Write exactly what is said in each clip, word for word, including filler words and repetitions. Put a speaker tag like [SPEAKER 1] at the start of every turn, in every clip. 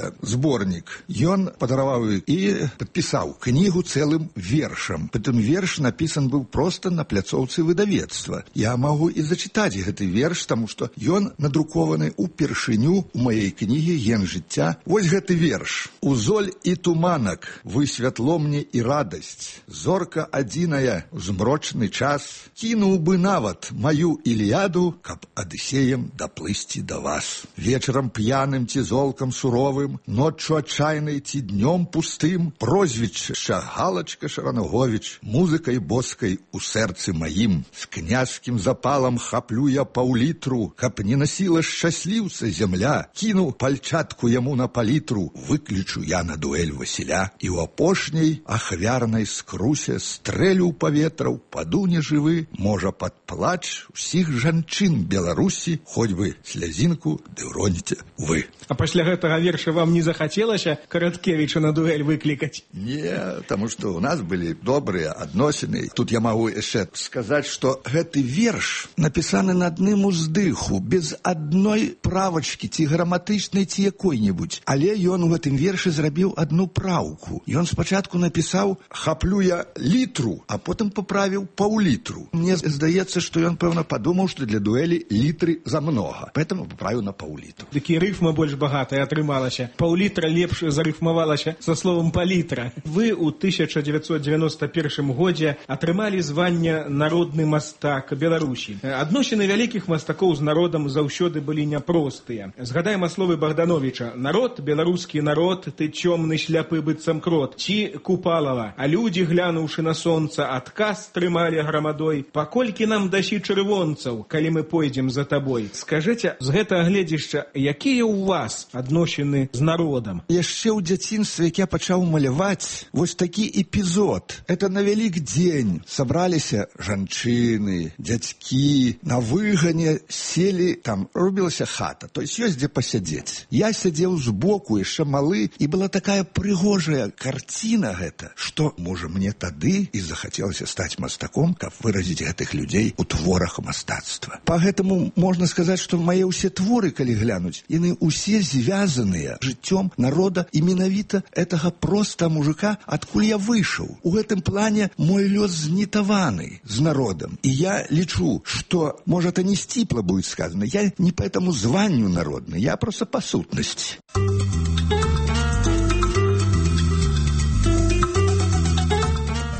[SPEAKER 1] гэта зборнік. Ён падараваў і падпісаў кнігу цэлым вершам. Прытым верш напісан быў проста на пляцоўцы выдавецтва. Я магу і зачытаць гэты верш, таму што ён надрукаваны ўпершыню ў маёй кнігі «Ген жыцця». Вось гэты верш. «Узоль і туманак, вы святло мне і радасць. Зорка адзіная ў змрочны час. Кінуў бы нават маю Іліяду, каб Адысеем даплысці да вас. Вечарам п'яным ці золкам суровым, ноччу адчайнай ці днём пустым, прозвішча Галачка Шаранаговіч, музыкай боскай у сэрцы маім. З князькім запалам хаплю я паўлітру, каб не насіла шчасліўца зямля. Кіну пальчатку яму на палітру, выклічу я на дуэль Васіля. І ў апошняй ахвярнай скрусе стрэлю ў паветра, упаду нежывы, можа пад плач усіх жанчын Беларусі, хоць бы слязінку ды ўроніце вы».
[SPEAKER 2] А пасля гэтага верша вам не захацелася Караткевіча на дуэль выклікаць?
[SPEAKER 1] Не, таму што ў нас былі добрыя адносіны. Тут я магу яшчэ сказаць, што гэты верш напісаны на адным уздыху, без адной правачкі, ці граматычнай, ці якой-небудзь. Але ён у гэтым вершы зрабіў адну праўку. Ён спачатку напісаў «хаплю я літру», а потым паправіў паўлітру. Мне здаецца, што ён, пэўна, падумаў, што для дуэлі літры замнога. Поэтому паправіў на паўлітру.
[SPEAKER 2] Такі рыфма больш багатая атрымалася. Паўлітра лепш зарыфмавалася са словам палітра. Вы ў тысяча дзевяцьсот дзевяноста першым годзе атрымалі званне «Народны мастак Беларусі». Адносіны вялікіх мастакоў з народам заўсёды былі няпростыя. Згадаем словы Богдановича: «Народ, беларускі народ, ты цёмны шляпы быццам крот». Ці Купалава: «А людзі, глянуўшы на сонца, адказ трымалі грамадой. Паколькі нам дасі чырвонцаў, калі мы пойдзем за табой». Скажыце, з гэтага гледзішча, якія ў вас адносіны з народам?
[SPEAKER 1] Яшчэ ў дзяцінстве, як я пачаў маляваць, вось такі эпізод. Это на вялік дзень сабраліся жанчыны, дзядзькі, на выгане селі, там рубілася хата, то есть ёсць дзе пасядзець. Я сядзеў збоку, яшчэ малы, і была такая прыгожая карціна гэта, што, можа, мне тады і захацелася стаць мастаком, каб выразіць гэтых людзей у творах мастацтва. Па гэтаму можна сказаць, што мае ўсе творы, калі глянуць, яны ўсе звязаныя жыццём народа і менавіта гэтага проста мужика, адкуль я выйшаў. У гэтым плане мой лёс знітаваны з народам. І я лічу, што, можа, это не сціпла будет сказано, я не по этому званню народны, я просто по сутнасці.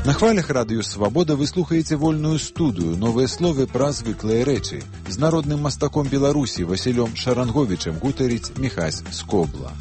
[SPEAKER 3] На хвалях радыё «Свабода» вы слухаеце вольную студыю, новыя словы пра звыклыя рэчы. З народным мастаком Беларусі Васілём Шаранговічам гутарыць Міхась Скобла.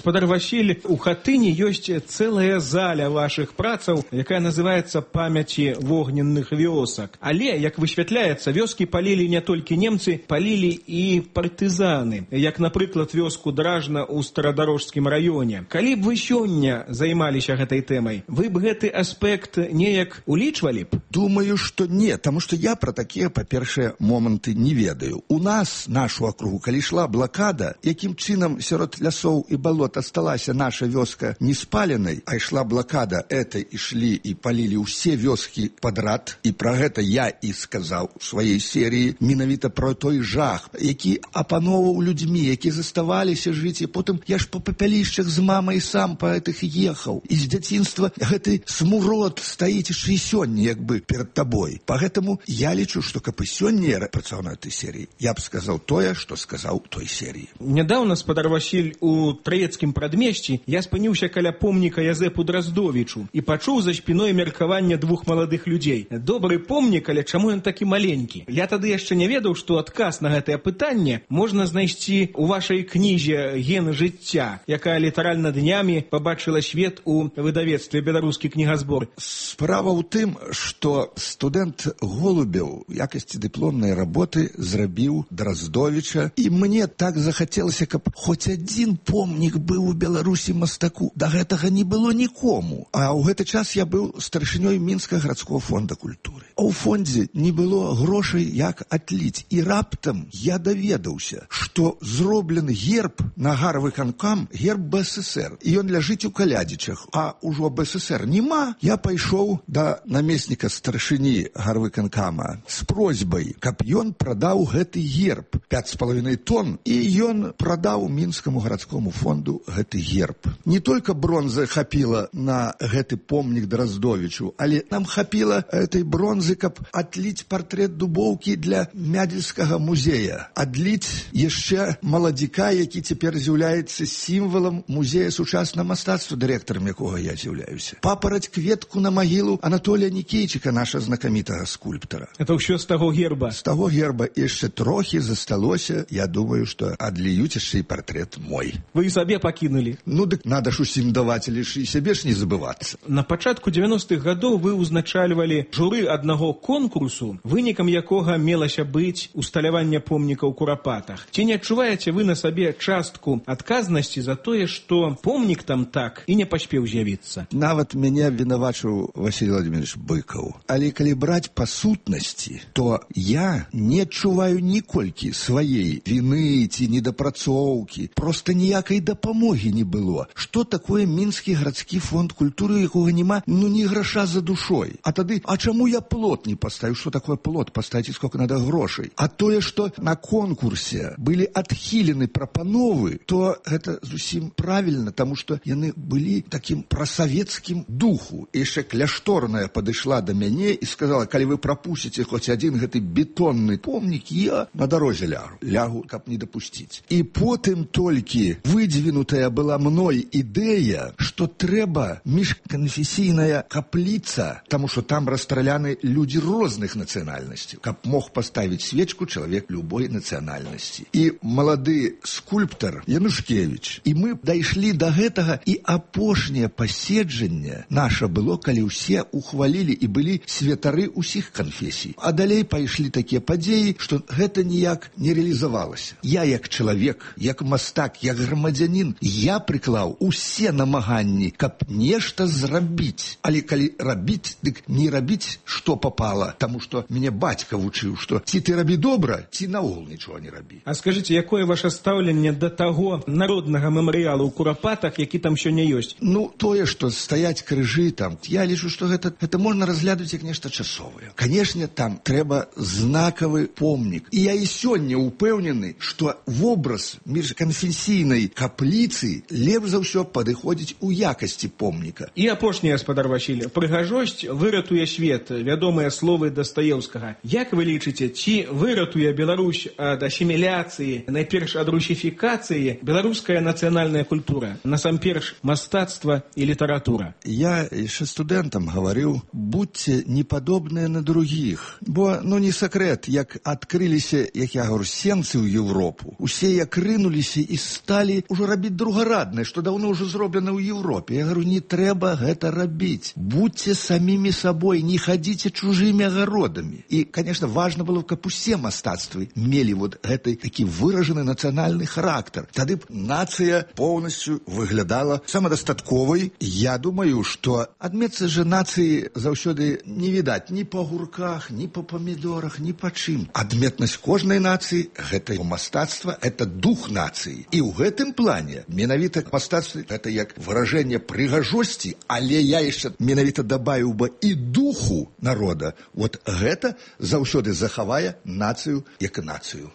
[SPEAKER 2] Гаспадар Васіль, у хатыні ёсць цэлая заля вашых працаў, якая называецца «Памяці вогненных вёсак». Але, як высвятляецца, вёскі палілі не толькі немцы, палілі і партызаны, як, напрыклад, вёску Дражна ў Старадарожскім раёне. Калі б вы сёння займаліся гэтай тэмай, вы б гэты аспект неяк улічвалі б?
[SPEAKER 1] Думаю, што не, таму што я пра такія, па-першае, моманты не ведаю. У нас, нашу акругу, калі ішла блакада, якім чынам сярод лясоў і балот асталася наша вёска не спаленай, а ішла блакада, это ішлі і палілі ўсе вёскі падрад, і пра гэта я і сказаў у сваёй серыі, менавіта пра той жах, які апаноўваў людзьмі, які заставаліся жыць, і потым я ж па папялішчах з мамай сам па гэтых ехаў. І з дзяцінства гэты смурод стаіць і сёння, як бы, перад табой. Па гэтаму я лічу, што каб і сёння я працаваў на этой серыі, я б сказаў тое, што сказаў у той серыі.
[SPEAKER 2] Нядаўна, спадар Васіль, у Траецкім прадмесці я спыніўся каля помніка Язэпу Драздовічу і пачуў за спіной меркаванне двух маладых людзей. Добры помнік, але чаму ён такі маленькі? Я тады яшчэ не ведаў, што адказ на гэтае пытанне можна знайсці ў вашай кнізе «Ген жыцця», якая літаральна днямі пабачыла свет у выдавецтве «Беларускі кнігазбор».
[SPEAKER 1] Справа ў тым, што студэнт Голубеў у якасці дыпломнай работы зрабіў Драздовіча, і мне так захацелася, каб хоць адзін помнік быў у Беларусі мастаку. Да гэтага не было нікому. А ў гэты час я быў старшынёй Мінскага гарадскога фонда культуры. А ў фондзе не было грошай, як адліць. І раптам я даведаўся, што зроблены герб на гарвыканкам, герб БССР. І ён ляжыць у Калядзічах. А ўжо БССР нема. Я пайшоў да намесніка старшыні гарвыканкама з просьбай, каб ён прадаў гэты герб пяць з паловінай тонн, і ён прадаў мінскаму гарадскому фонду гэты герб. Не толькі бронзы хапіла на гэты помнік Драздовічу, але нам хапіла этой бронзы, каб адліць партрэт Дубоўкі для Мядзельскага музея. Адліць яшчэ маладзіка, які цяпер з'яўляецца сімвалам музея сучаснага мастацтва, дырэктарам якога я з'яўляюся. Папараць кветку на магілу Анатолія Нікейчыка, наша знакамітага скульптара.
[SPEAKER 2] Это ўсё з таго герба?
[SPEAKER 1] З таго герба яшчэ трохі засталося. Я думаю, што адліюць яшчэ і партрэт мой.
[SPEAKER 2] Вы і сабе пакінулі?
[SPEAKER 1] Ну, дык надо ж усім даваць, але ж і сябе ж не забывацца.
[SPEAKER 2] На пачатку дзевяностых гадоў вы ўзначальвалі журы аднаго конкурсу, вынікам якога мелася быць усталяванне помніка ў Курапатах. Ці не адчуваеце вы на сабе частку адказнасці за тое, што помнік там так і не паспеў з'явіцца?
[SPEAKER 1] Нават мяне вінавачыў Василий Владимирович Быкаў. Але калі браць па сутнасці, то я не адчуваю ніколькі сваей віны ці недапрацоўкі. Проста ніякай дапамогі не было. Што такое Мінскі гарадскі фонд культуры, якога няма, ну, ні граша за душой. А тады, а чаму я плот не паставіў? Што такое плот? Паставіць, сколько надо грошай. А тое, што на конкурсе былі адхілены прапановы, то гэта зусім правільна, таму што яны былі такім прасавецкім духу. І яшчэ кляшторная падышла да мяне і сказала, калі вы прапусціце хоць адзін гэты бетонны помнік, я на дарозе лягу, лягу, каб не дапусціць. І потым толькі выдвинутая была мной ідэя, што трэба міжканфесійная капліца, таму што там расстраляны людзі розных нацыянальнасцяў, каб мог паставіць свечку чалавек любой нацыянальнасці. І малады скульптар Янушкевіч. І мы дайшлі да гэтага, і апошняе паседжанне наша было, калі ўсе ухвалілі і былі святары ўсіх канфесій. А далей пайшлі такія падзеі, што гэта ніяк не реалізавалася. Я як чалавек, як мастак, як грамадзянін, я прыклаў усе намаганні, каб нешта зрабіць. Але калі рабіць, дык не рабіць, што попала, таму што мяне бацька вучыў, што ці ты рабі добра, ці наогул нічога не рабі.
[SPEAKER 2] А скажыце, якое ваше стаўленне да таго народнага мемарыялу ў Курапатах, які там сёння ёсць?
[SPEAKER 1] Ну, тое, што стаяць крыжы там, я лічу, што гэта, гэта можна разглядаць як нешта часовае. Канешне, там трэба знакавы помнік. І я і сёння упэўнены, што вобраз міжканфесійнай капліцы лепш за ўсё падыходзіць у якасці помніка.
[SPEAKER 2] І апошняе, гаспадар Васіль, прыгажосць выратуе свет, вядомыя словы Дастаеўскага. Як вы лічыце, ці выратуе Беларусь ад асіміляцыі, найперш ад русіфікацыі, беларуская нацыянальная культура, насамперш мастацтва і літаратура?
[SPEAKER 1] Я яшчэ студэнтам гаварыў, будьце не падобныя на другіх. Бо, ну, не сакрэт, як адкрыліся, як я говорю, сенцы ў Европу. Усе як рынуліся і сталі ўжо рабіць другараднае, што даўно ўжо зроблена ў Европе. Я говорю, не трэба гэта рабіць. Будьце самімі сабой, не хадзіце чужымі агародамі. І, конечно, важна было, каб усе мастацтвы мелі вот гэты такі выражаны нацыянальны характар. Тады б нацыя поўнасцю выглядала самадастатковай. Я думаю, што адметцы же нацыі заўсёды не відаць ні па гурках, ні па памідорах, ні па чым. Адметнасць кожнай нацыі – гэта мастацтва, это дух нацыі. І ў гэтым плане менавіта мастацтва – гэта як выражэнне прыгажосці, але я яшчэ менавіта дабавіў бы і духу народа. Вот гэта заўсёды захавае нацыю як нацыю.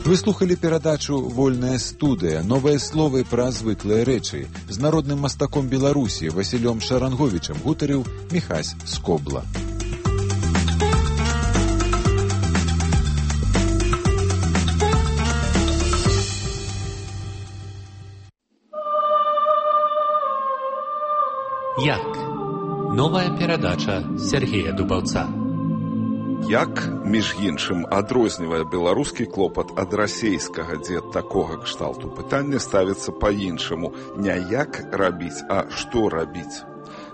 [SPEAKER 3] Вы слухали перадачу «Вольная студыя. Новыя словы пра звыклыя рэчы». З народным мастаком Беларусі Васілём Шаранговічам гутарыў Міхась Скобла.
[SPEAKER 4] Як? Новая перадача Сергея Дубаўца.
[SPEAKER 5] Як, між іншым, адрознівае беларускі клопат ад расейскага, дзе такога кшталту пытання ставіцца па-іншаму. Не як рабіць, а што рабіць.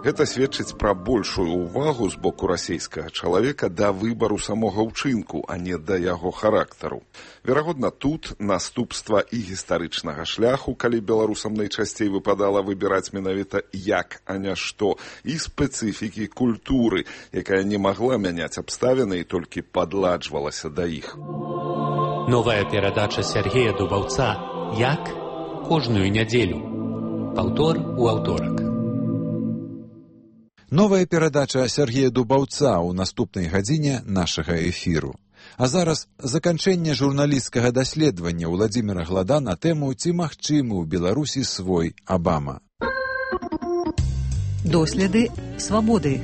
[SPEAKER 5] Гэта сведчыць пра большую ўвагу з боку расейскага чалавека да выбару самога ўчынку, а не да яго характару. Верагодна, тут наступства і гістарычнага шляху, калі беларусам найчасцей выпадала выбіраць менавіта як, а не што, і спецыфікі культуры, якая не магла мяняць абставіны і толькі падладжвалася да іх.
[SPEAKER 4] Новая перадача Сергея Дубаўца «Як?» кожную нядзелю. Паўтор у аўторак.
[SPEAKER 3] Новая перадача Сергея Дубаўца ў наступнай гадзіне нашага эфіру. А зараз заканчэнне журналісцкага даследавання Владзіміра Глада на тэму «Ці магчымы ў Беларусі свой Абама».
[SPEAKER 6] Доследы свабоды.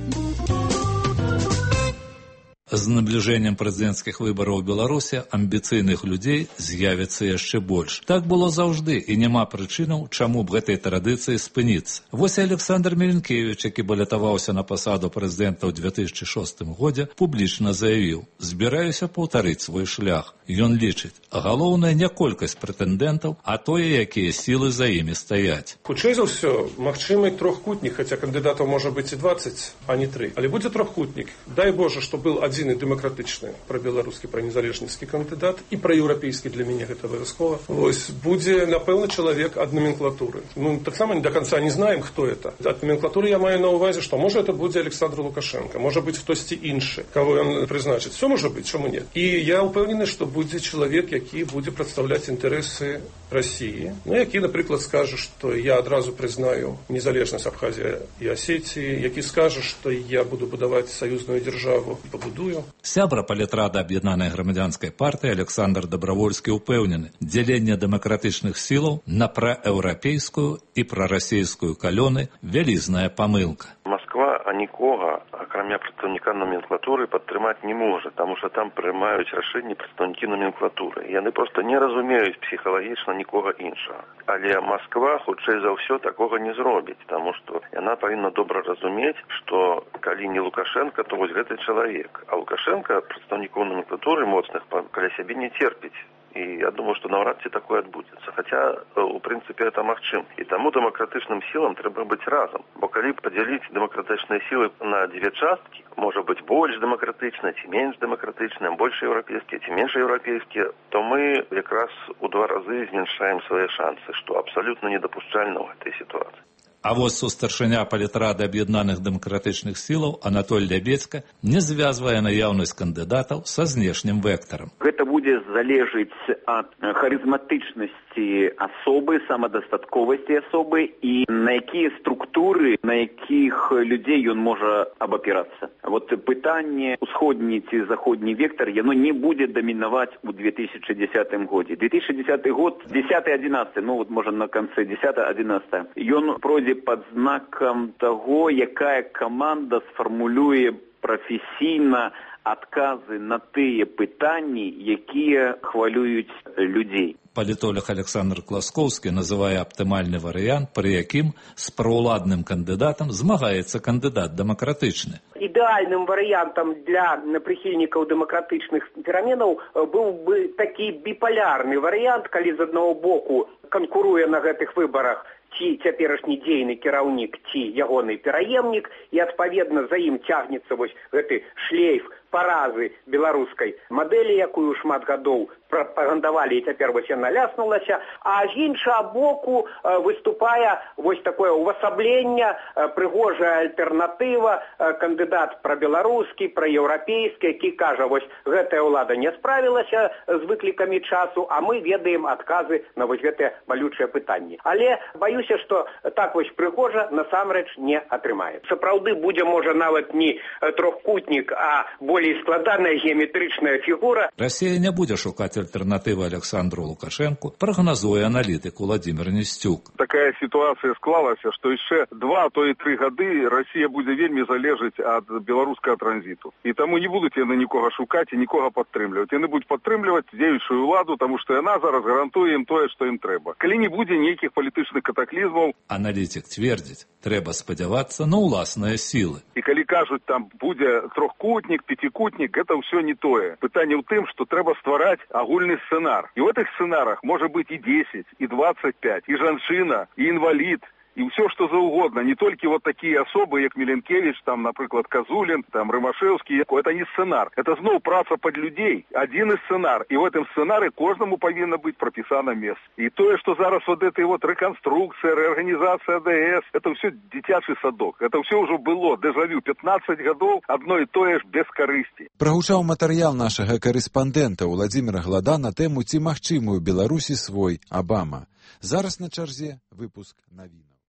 [SPEAKER 7] З набліжэннем прэзідэнцкіх выбараў у Беларусі амбіцыйных людзей з'явіцца яшчэ больш. Так было заўжды, і няма прычынаў, чаму б гэтай традыцыі спыніцца. Вось Александр Меленкевіч, які балятаваўся на пасаду прэзідэнта ў две тысячы шостым годзе, публічна заявіў: «Збіраюся паўтарыць свой шлях». Ён лічыць, галоўнае не колькасць прэтэндэнтаў, а тое, якія сілы за імі стаяць.
[SPEAKER 8] Хутчэй за ўсё, магчымы трохкутнік, хаця кандыдатаў можа быць і дваццаць, а не тры. Але будзе трохкутнік. Дай Боже, што был адзін і дэмакратычны, пра-беларускі, пра-незалежніцкі кандыдат і пра-еўрапейскі, для мяне гэта абавязкова. Вось, будзе, напэўна, чалавек ад номенклатуры. Мы таксама до конца не знаем, хто это. Ад номенклатуры я маю на ўвазе, што можа это будзе Александр Лукашенко, можа быць хтосьці іншы, каго ён прызначыць. Все можа быць, чаму не? І я ўпэўнены, што будзе чалавек, які будзе прадстаўляць інтарэсы России, ну, які, напрыклад, скажа, што я адразу прызнаю незалежнасць Абхазіі і Асетіі, які скажа, што я буду будаваць саюзную дзяржаву і пабудую.
[SPEAKER 7] Сябра палітрада аб'яднанай грамадзянскай партыі Александр Дабравольскі ўпэўнены, дзяленне дэмакратычных сілаў на праеўрапейскую і прарасейскую калёны вялізная памылка.
[SPEAKER 9] Москва нікога, акрамя прадстаўніка номенклатуры, падтрымаць не можа, таму што там прымаюць рашэнні прадстаўнікі номенклатуры. Яны проста не разумеюць псіхалагічна нікога іншага. Але Москва, хутчэй за ўсё, такога не зробіць, таму што яна павінна добра разумець, што калі не Лукашенко, то вось гэты чалавек. А Лукашенко прадстаўнікоў номенклатуры моцных каля сябе не церпіць. І я думаю, што наўрад ці такое адбудзецца. Хаця, у прынцыпе, это магчым. І таму дэмакратычным сілам трэба быць разам. Бо калі падзяліць дэмакратычныя сілы на дзве часткі, можа быць больш дэмакратычныя, ці менш дэмакратычныя, больш еўрапейскія, ці менш еўрапейскія, то мы якраз у два разы зменшаем свае шансы, што абсалютна недапушчальна ў гэтай сітуацыі.
[SPEAKER 7] А вось старшыня палітрады аб'яднаных дэмакратычных сілаў Анатоль Лябедзька не звязвае наяўнасць кандыдатаў са знешнім вектарам.
[SPEAKER 10] Гэта будзе залежыць ад харызматычнасці асобы, самадастатковасці асобы і на якія структуры, на якіх людзей ён можа абапірацца. Вот пытанне усходні ці заходні вектар, яно не будзе дамінаваць у две тысячи дзесятым годзе. две тысячи дзесяты год, дзесяты адзінаццаты, ну вот можа на канцы дзесяты адзінаццаты, ён пройдзе пад знакам таго, якая каманда сфармулюе прафесійна адказы на тыя пытанні, якія хвалююць людзей.
[SPEAKER 7] Палітолог Александр Класкоўскі называе аптымальны варыянт, пры якім з праўладным кандыдатам змагаецца кандыдат дэмакратычны.
[SPEAKER 11] Ідэальным варыянтам для прыхільнікаў дэмакратычных пераменаў быў бы такі біполярны варыянт, калі з аднаго боку канкуруе на гэтых выбарах ці цяперашні дзейны кіраўнік, ці ягоны пераемнік, і адпаведна за ім цягнецца вось гэты шлейф паразы беларускай мадэлі, якую шмат гадоў прапагандавалі, і цяпер вось яна ляснулася, а з іншага боку выступае вось такое увасабленне, прыгожая альтэрнатыва, кандыдат прабеларускі, праеўрапейскі, які кажа, вось гэтая ўлада не справілася з выклікамі часу, а мы ведаем адказы на вось гэтыя балючыя пытанні. Але баюся, што так вось прыгожа насамрэч не атрымаецца. Сапраўды будзе, можа, нават не трохкутнік, а болей складаная геаметрычная фігура.
[SPEAKER 7] Расія не будзе шукаць альтэрнатывы Александру Лукашенку, прагназуе аналітык Владзімір Несцюк.
[SPEAKER 12] Такая сітуацыя склалася, што яшчэ два, то і тры гады Расія будзе вельмі залежыць ад беларускага транзіту. І таму не будуць яны нікога шукаць і нікога падтрымліваць. Яны будуць падтрымліваць дзеючую ўладу, таму што яна зараз гарантуе ім тое, што ім трэба. Калі не будзе нейкіх палітычных катаклізмаў.
[SPEAKER 7] Аналітик цвердзіць, трэба спадзявацца на ўласныя сілы.
[SPEAKER 12] І калі кажуць, там будзе трохкутнік, пяцікутнік, гэта ўсё не тое. Пытанне ў тым, што трэба ствараць агульны сцэнар. І ў гэтых сцэнарах можа быць і дзесяць, і дваццаць пяць, і жанчына, і інвалід, и все что заўгодна, не только вот такие особы, как Миленкевич, там, например, Козулин, там, Рымашевский, это не сценар, это снова праца под людей, один из сценар, и в этом сценарии каждому повинно быть прописано место. И то, что зараз вот этой вот реконструкция, реорганизация АДС, это все детячий садок, это все уже было, дежавю, пятнадцать годов, одно и то же без корысти.
[SPEAKER 3] Прагучаў матэрыял нашага карэспандэнта Владзіміра Глада на тэму «Ці магчымы ў Беларусі свой Абама». Зараз на чарзе выпуск навінаў.